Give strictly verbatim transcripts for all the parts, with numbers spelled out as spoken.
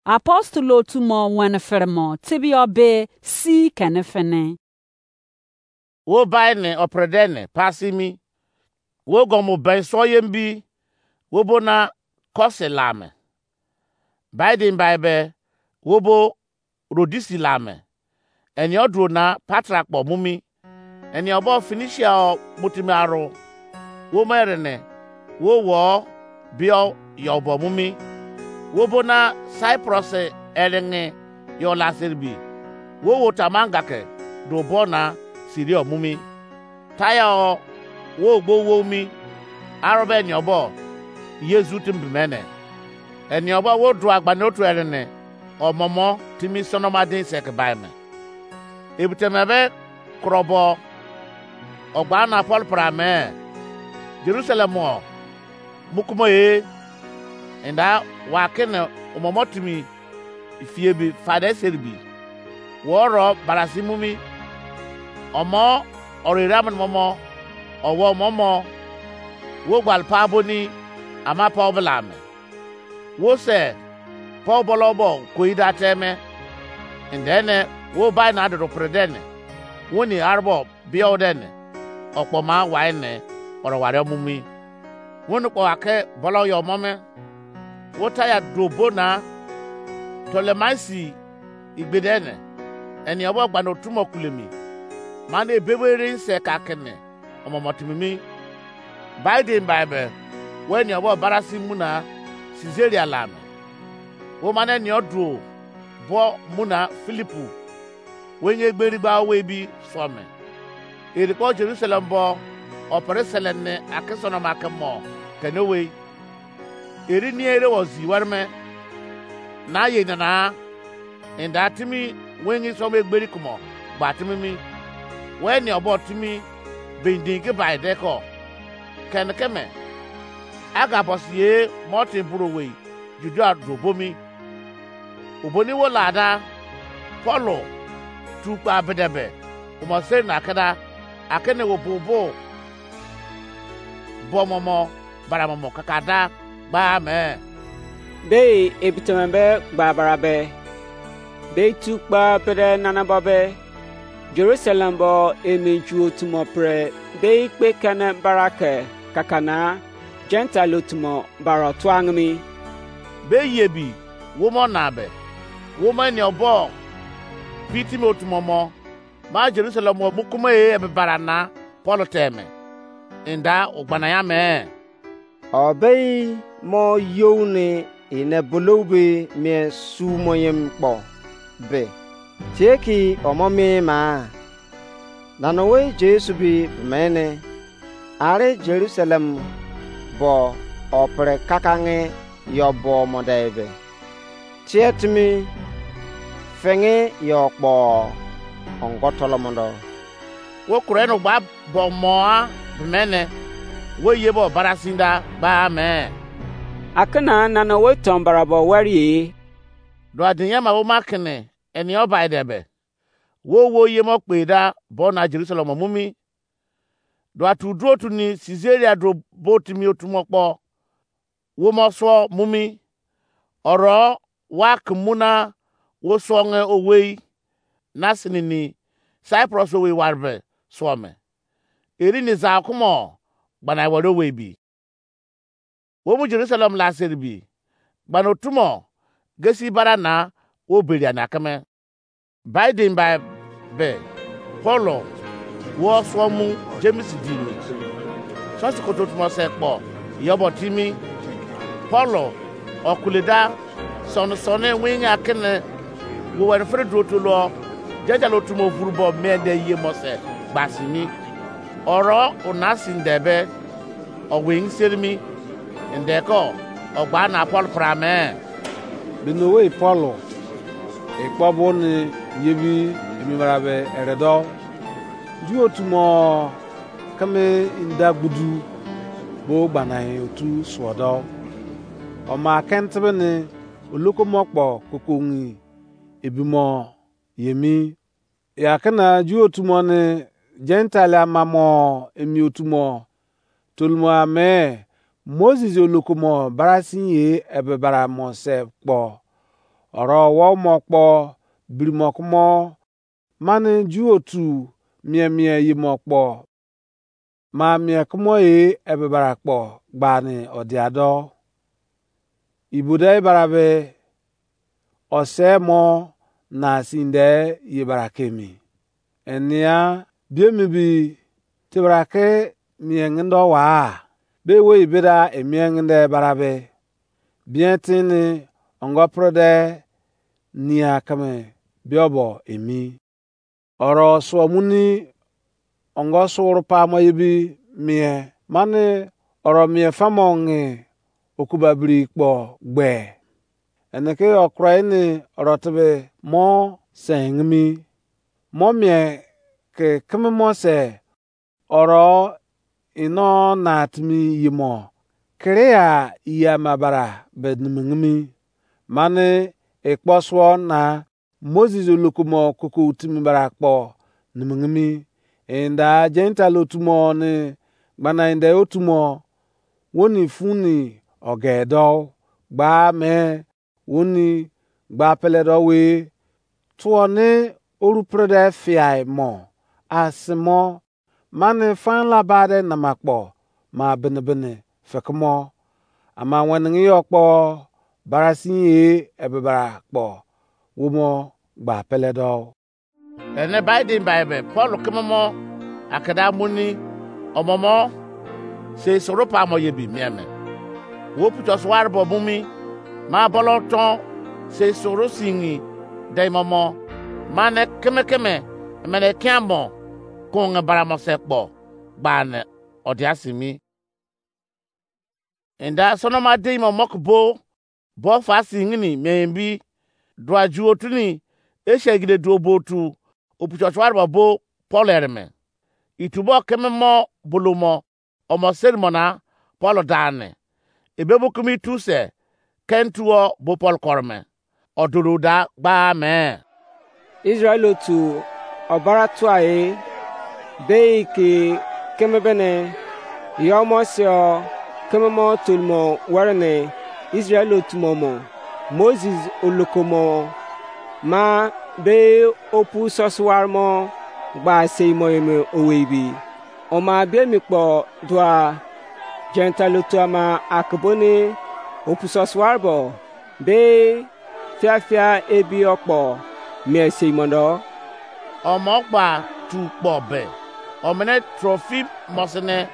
Apostle otu mo wene fere mo tebio be si kene fene. Wo bai ne opre de ne pasi mi. Wo gomo ben so ye mbi. Wo bo na kose la me. Bai din bai be wo bo Rodisi la me. Eni oduro na Patra kpo mu mi. Eni obo Finisia o mutimi aro. Wo mo erene wo wo bio yo bo mu mi. Wo bo na Cyprus erenge yo la serbi. Wo wo tamanga ke do bo na Siria mu mi. Taya o wo gbo wo mi. Aro be eni obo Yesu timbi mene. Eni obo wo dua gbani otu erene omomo timi sonoma din se ke bai me. Ebiteme be krobo ogba na Paul pra me Jerusalem o mukumo e. Enda wa kene omomo timi fie bi fade seribi. Wo ro barasi mu mi. Omo oro ira mo momo owo momo wo gbal pa boni ama pa obla me. Wo se pa obolo bo ko ida teme. Ndene wo bai na dodo pre dene. Wo ni arbo bio dene. Okpo ma wai ne oro ware mu mi. Wo ni kpo ake bolo yo mo me. Wo ta ya do bo na Ptolemais igbede ne. Eni obo gbano tumo kulemi. Mane ebebe ere se ka kene omomo timimi. Bai din bai be wo eni obo barasi muna Caesarea la me. Wo mane eni oduo bo muna Filipu. Wo enye egberi gba owe bi so me. Eri kpo Jerusalem bo opere sele ne akesonoma ke mo kene owei. Eri ni ere wo zi were me na ye nana. Enda timi wengi som egberi kumo gba timi mi. We ni obo timi bindin ke bai de ko. Ken ke me aga bosi ye mo tin buru owei Judea do bo mi. Oboni wo lada Paulo tu kpa bedebe umo seri na keda akene wo bubu bomomo baramomo kakada gba me. Dei ebiteme be gba bara be dei tu kpa bede nana bo be Jerusalem bo emi ju otumo pre dei kpe kene bara ke kakana Gentile otumo baro tuangmi. Be ye bi wo mo na be wo mo eni obo pitimi otumo mo ma Jerusalem wo mukumo e ebe bara na Paul teme. Enda ugbana ya me. Obei mo you ni ine bulou be mien su moyem kpo be tie ki omo mien ma. Nana owei Jesu bi mene are Jerusalem bo opre kakange yo bo mo dai be. Tie timi fenge yo kpo ongo tolomondo. Wo kure no gba bo moa mene wo ye bo barasinda ba me. Akana nana wo ton barabo wari. Do adinya ma wo makene eni obai de be. Wo wo ye mo kpe da bo na Jerusalem mu mi. Do atu dro tu ni Caesarea dro bo timi otumo kpo. Wo mo so mu mi. Oro wa ke mu na wo songe owei na sini ni Cyprus owei warbe so me. Eri ni za kumo gbana wari owei bi. Wo mu Jerusalem la seri bi gbana otumo gesi bara na wo beria na keme. Biden bai be Paulo wo so mu James di ni. Sosi koto tumo se kpo yobo timi. Paulo okuleda sone sone winga kene wo wene fere dro to lo. Jajalo tumo vuru bo me de ye mo se gbasimi. Oro una sinde be owing serimi. Ndeko ogba na Paul prame. Bino wei Paulo ikpo bo ni yebi emi mara be eredo. Ju otumo keme inda gbudu bo gbanain otu suodo. Oma kentebe ni olokomokpo kokongi ebimo yemi. Ya kena ju otumo ni Gentile amamo emi otumo tolumo ame Moses olokomo barasin ye ebe bara mo se kpo. Oro wo mo kpo birimo kumo, mani Ju otu mie mie yimo kpo, ma mie kumo e ebe bara kpo gbani odia do. Ibude ibara be ose mo na sinde ye bara kemi. Enia biemi bi tebra ke mie ngendo wa, be wo ibeda emie ngende bara be. Bien tini ongo prode nia keme biobo emi. Oro suo muni ongo suru pamo yebi mie, mani oro mie famo ngi okuba biri kpo gbe. Ene ke okura ini oro tebe mo sengimi. Mo mie ke keme mo se oro ino na timi yimo kerea yama bara be nimingimi. Mani ekpo suo na Moses olokomo koko timi bara kpo nimingimi. Enda Gentile otumo ni gbana enda otumo woni funi ogedo gba me woni gba pele do we tuo ni oru prede fiai mo asimo mani fan labade namakpo ma bini bini fekemo. Ama wenengi yo kpo barasin ye ebe bara kpo wo mo gba pele do. Ene bai din bai be Paul keme mo akada muni omomo sei soro pa mo ye bi mie me. Wo puto suwar bo bumi ma bolo ton sei soro singi dai momo mane keme keme mene kiamo konge baramo se kpo gbane odia simi. Enda sonoma dei mo mok bo bo fa singini meimbi dua ju otuni eshegide duo bo otu opucho chuarbo bo Paul ereme. Itubo keme mo bolomo omo seri mona Paul dane. Ebe bu kimi tu se ken tuo bo Paul korme. Oduru da gba me. Israel otu obara tuai bei ke keme bene yo mo sio keme mo tolmo were ne Israel otu mo mo Moses oloko mo ma be opu sosuwar mo gba sei mo eme owei bi. Oma be mi kpo dua Gentile otu ama akeboni opu sosuwar bo be fiafia ebi ọkpọ mie sei mondo. Ọmọ gba tu kpọ be, omene Trofimọs ne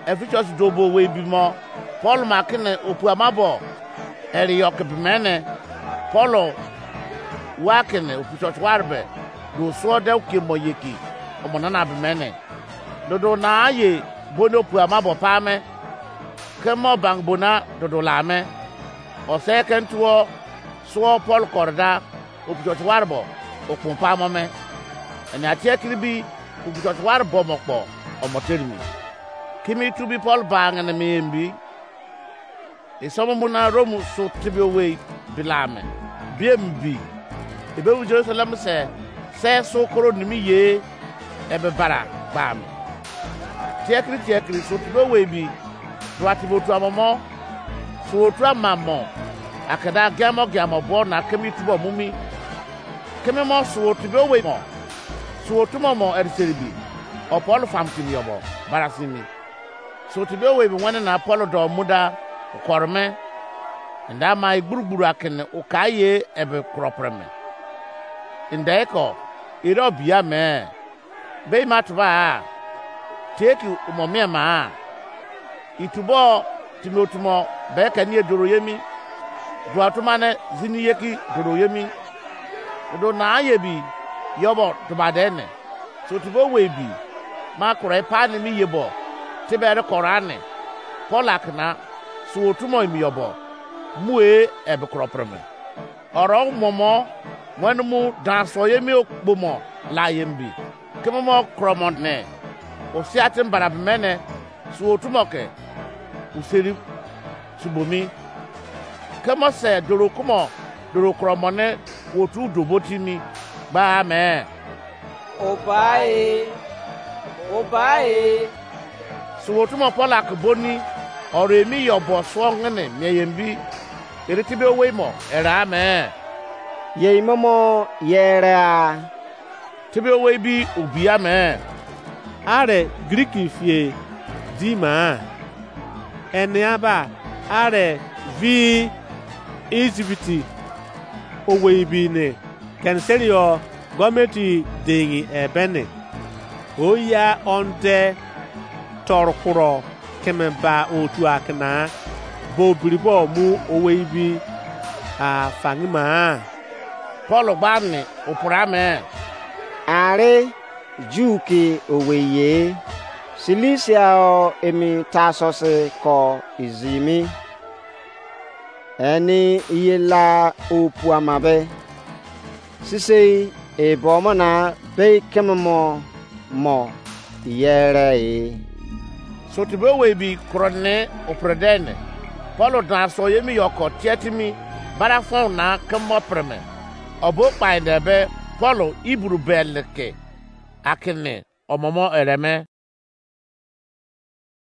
Efisọs dobo wei bimo, Pọl ma kene opu ama bo eri yọ ke bemene, Pọl wa kene opu church ware be, do suọ de oke mọ yeki, ọmọ nana bemene. Dodo na ye boni opu ama bo pa me, kemo bang bona dodo la me. Ose ken tuo suo Pọl kọrda opuchọch warbo okpon pamo me. Eni atie kiri bi opuchọch warbo mo kpo omo terimi. Kimi tu bi Pọl ba ngene mi embi. Isomo muna Rom su tibi owei bila me. Biem bi. Ebe wu Jerusalem se se su koro nimi ye ebe bara gba me. Tiekiri tiekiri su tibi owei bi. Dua tibi otu amomo. Su otu amamo. Akada giamo giamo bo na kemi tubo mumi. Kemi mo su otu be owei mo. Su otu mo mo eriseri bi. O Paul fam kimi yobo. Barasimi. Su otu be owei bi wene na Paul do muda. Korme. Nda ma igburugburu akene ukaye ebe kropreme. Nda eko. Iro biya me. Be ima tuba a, tie ki umo mie ma a. Itubo timi otumo be keni ye doro yemi. Dua tuma ne zini ye ki doro yemi. Odo na ye bi yobo tuba de ne. So tubo wei bi ma kura ipa ni mi ye bo. Tibere kora ne. Paul akna so otumo imi yobo. Mu e ebe kro preme. Oro momo wenu mu dan so ye mi okpomo la ye mbi. Keme mo kromo ne. Osia tin bara bemene su otumo ke useri subomi. Kemo se doro kumo doro kromo ne otu dobotimi gba me. Obae, obae. Su otumo Paul akboni oro emi yo bo suo ngene mie ye mbi. Ere tibi owei mo era me. yei momo yere a. Tebe owei bi obia me? Are Greek fie di ma? Enia ba are vi Egypt owei bi ne kenseri yo gọọmenti deghi ebe ne. Oya onde tọrọ kuro keme ba otu akina bo biribo mu owei bi a fangima. Paul gba ne opura me. Are Ju ke owei ye, Silisia o emi Tarsus ko izimi. Eni iye la opuama be. Sisei ebo mo na bei keme mo mo yere e. Sotibe owei bi kuro ne opre dene. Paul dan so yemi yoko tietimi bara fon na kemo preme. Obo kpai de be Paul Hebrew beleke akene omomo ereme.